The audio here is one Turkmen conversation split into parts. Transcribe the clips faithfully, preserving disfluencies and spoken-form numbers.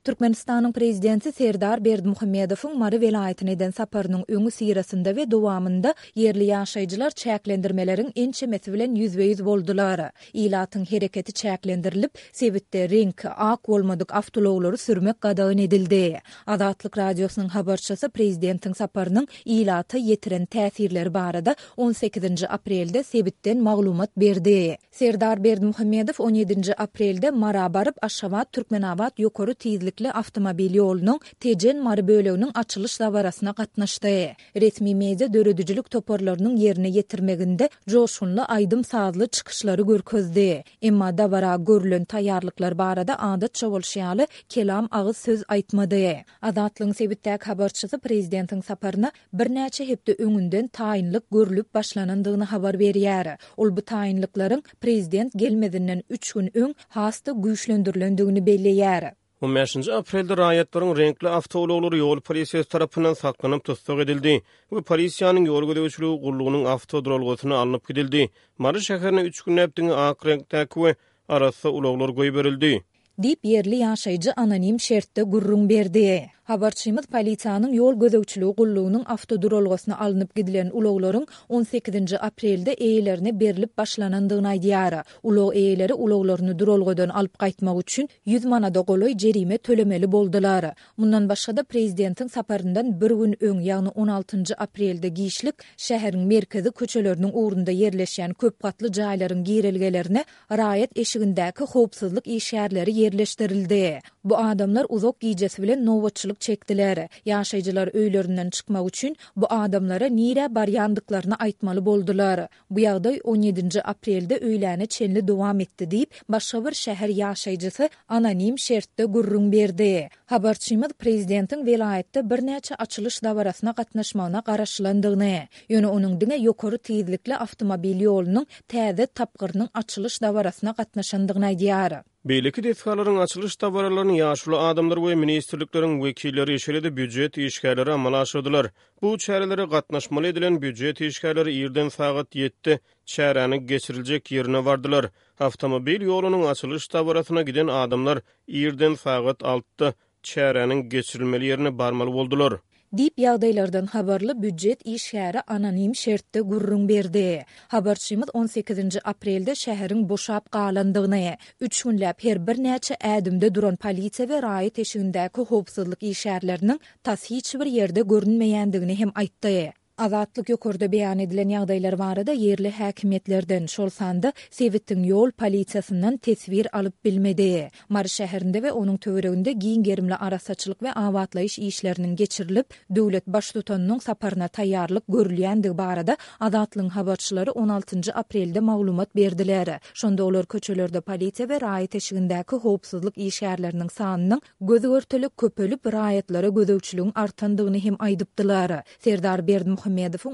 Türkmenistanyň Prezidenti Serdar Berdimuhamedowyň Mary welaýatyna eden saparynyň öňüsyrasynda we dowamynda ýerli ýaşaýjylar çäklendirmeleriň ençemesi bilen ýüzbe-ýüz boldular. Ilatyň hereketi çäklendirilip, sebitde reňki ak bolmadyk awtoulaglary sürmek gadagan edildi. Azatlyk Radiosynyň habarçysy prezidentiň saparynyň ilata ýetiren täsirleri barada on sekizinji aprelde sebitden maglumat berdi. Serdar Berdimuhamedow on ýedinji aprelde Mara baryp, Aşgabat-Türkmenabat ýokary tizlikli awtomobil ýolunyň Tejen-Mary böleginiň açylyş dabarasyna gatnaşdy. Resmi media döredijilik toparlarynyň ýerine ýetirmeginde joşgunly aýdym-sazly çykyşlary görkezdi. Emma dabara görülen taýýarlyklar barada adatça bolşy ýaly kelam agyz söz aýtmady. Azatlygyň sebitdäki habarçysy prezidentiň saparyna birnäçe hepde öňünden taýynlyk görlüp başlanandygyny habar berýär. Ol bu taýynlyklaryň prezident gelmezinden üç gün öň has-da güýçlendirilendigini belleýär. On bäşinji aprelde raýatlaryň reňkli awtoulaglary ýol polisiýasy tarapyndan saklanyp tussag edildi we polisiýanyň ýol gözegçiligi gullugynyň awtoduralgasyna alnyp gidildi. Mary şäherine üç günläp diňe ak reňkdäki we arassa ulaglar goýberildi. Diýip, ýerli ýaşaýjy anonim şertde gürrüň berdi. Habarçymyz polisiýanyň ýol gözegçiligi gullugynyň awtoduralgasyna alnyp gidilen ulaglaryň on sekizinji aprelde eýelerine berlip başlanandygyny aýdýar. Ulag eýeleri ulaglaryny duralgadan alyp gaýtmak üçin ýüz manada golaý jerime tölemeli boldular. Mundan başga-da, prezidentiň saparyndan bir gün öň, ýagny on altynjy aprelde giçlik şäheriň merkezi köçeleriniň ugrunda ýerleşýän köp gatly jaýlaryň girelgelerine raýat eşigindäki howpsuzlyk işgärleri ýerleşdirildi. Bu adamlar uzak gijesi bilen nobatçylyk çekdiler. Ýaşaýjylar öýlerinden çykmak üçin bu adamlara nirä barýandyklaryny aýtmaly boldular. Bu ýagdaý on ýedinji aprelde öýläne çenli dowam etdi diýip, başga bir şäher ýaşaýjysy anonim şertde gürrüň berdi. Habarçymyz prezidentiň welaýatda birnäçe açylyş dabarasyna gatnaşmagyna garaşylandygyny, ýöne onuň diňe ýokary tizlikli awtomobil ýolunyň täze tapgyrynyň açylyş dabarasyna gatnaşandygyny aýdýar. Beýleki desgalaryň açylyş dabaralaryny ýaşuly adamlar we ministrlikleriň wekilleri, şeýle-de býujet işgärleri amala aşyrdylar. Bu çärelere gatnaşmaly edilen býujet işgärleri irden sagat ýedide çäräniň geçiriljek ýerine bardylar. Awtomobil ýolunyň açylyş dabarasyna giden adamlar irden sagat altyda çäräniň geçirilmeli ýerine barmaly boldular. Diýip, ýagdaýlardan habarly býujet işgäri anonim şertde gürrüň berdi. Habarçymyz on sekizinji aprelde şäheriň boşap galandygyny, üç günläp her birnäçe ädimde duran polisiýa we raýat eşigindäki howpsuzlyk işgärleriniň tas hiç bir ýerde görünmeýändigini hem aýtdy. Azatlyk ýokarda beýan edilen ýagdaýlar barada ýerli häkimiýetlerden, şol sanda sebitiň ýol polisiýasyndan teswir alyp bilmedi. Mary şäherinde we onuň töwereginde giň gerimli arassaçylyk we abatlaýyş işleriniň geçirilip, döwlet Baştutanynyň saparyna taýýarlyk görülýändigi barada Azatlygyň habarçylary on altynjy aprelde maglumat berdiler. Şonda olar köçelerde polisiýa we raýat eşigindäki howpsuzlyk işgärleriniň sanynyň göz-görtele köpelip, raýatlara gözegçiligiň artandygyny hem aýdypdylar. Serdar Berdimuhamedowyň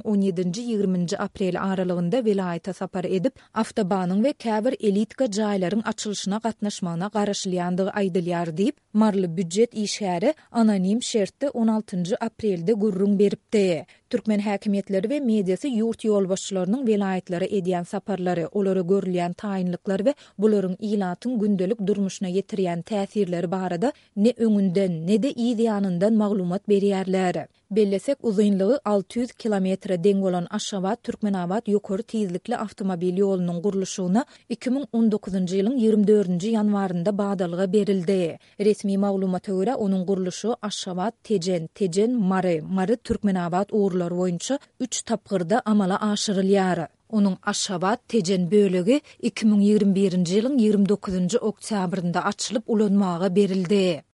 on ýedinji-ýigriminji aprel aralygynda welaýata sapar edip, awtobanyň we käbir elitka jaýlaryň açylyşyna gatnaşmagyna garaşylýandygy aýdylýar diýip, maryly býujet işgäri anonim şertde on altynjy aprelde gürrüň beripdi. Türkmen häkimiýetleri we mediasy ýurt ýolbaşçylarynyň welaýatlara edýän saparlary, olara görülýän taýynlyklar we bularyň ilatyň gündelik durmuşyna ýetirýän täsirleri barada ne öňünden, ne-de yz ýanyndan maglumat berýärler. Bellesek, uzynlygy alty ýüz kilometre deň bolan Aşgabat-Türkmenabat ýokary tizlikli awtomobil ýolunyň gurluşygyna iki müň on dokuzynjy ýylyň ýigrimi dördünji ýanwarynda badalga berildi. Resmi maglumata görä, onuň gurluşygy Aşgabat-Tejen, Tejen-Mary, Mary-Türkmenabat ugurlary boýunça üç tapgyrda amala aşyrylýar. Onuň Aşgabat-Tejen bölegi iki müň ýigrimi birinji ýylyň ýigrimi dokuzynjy oktýabrynda açylyp ulanmaga berildi.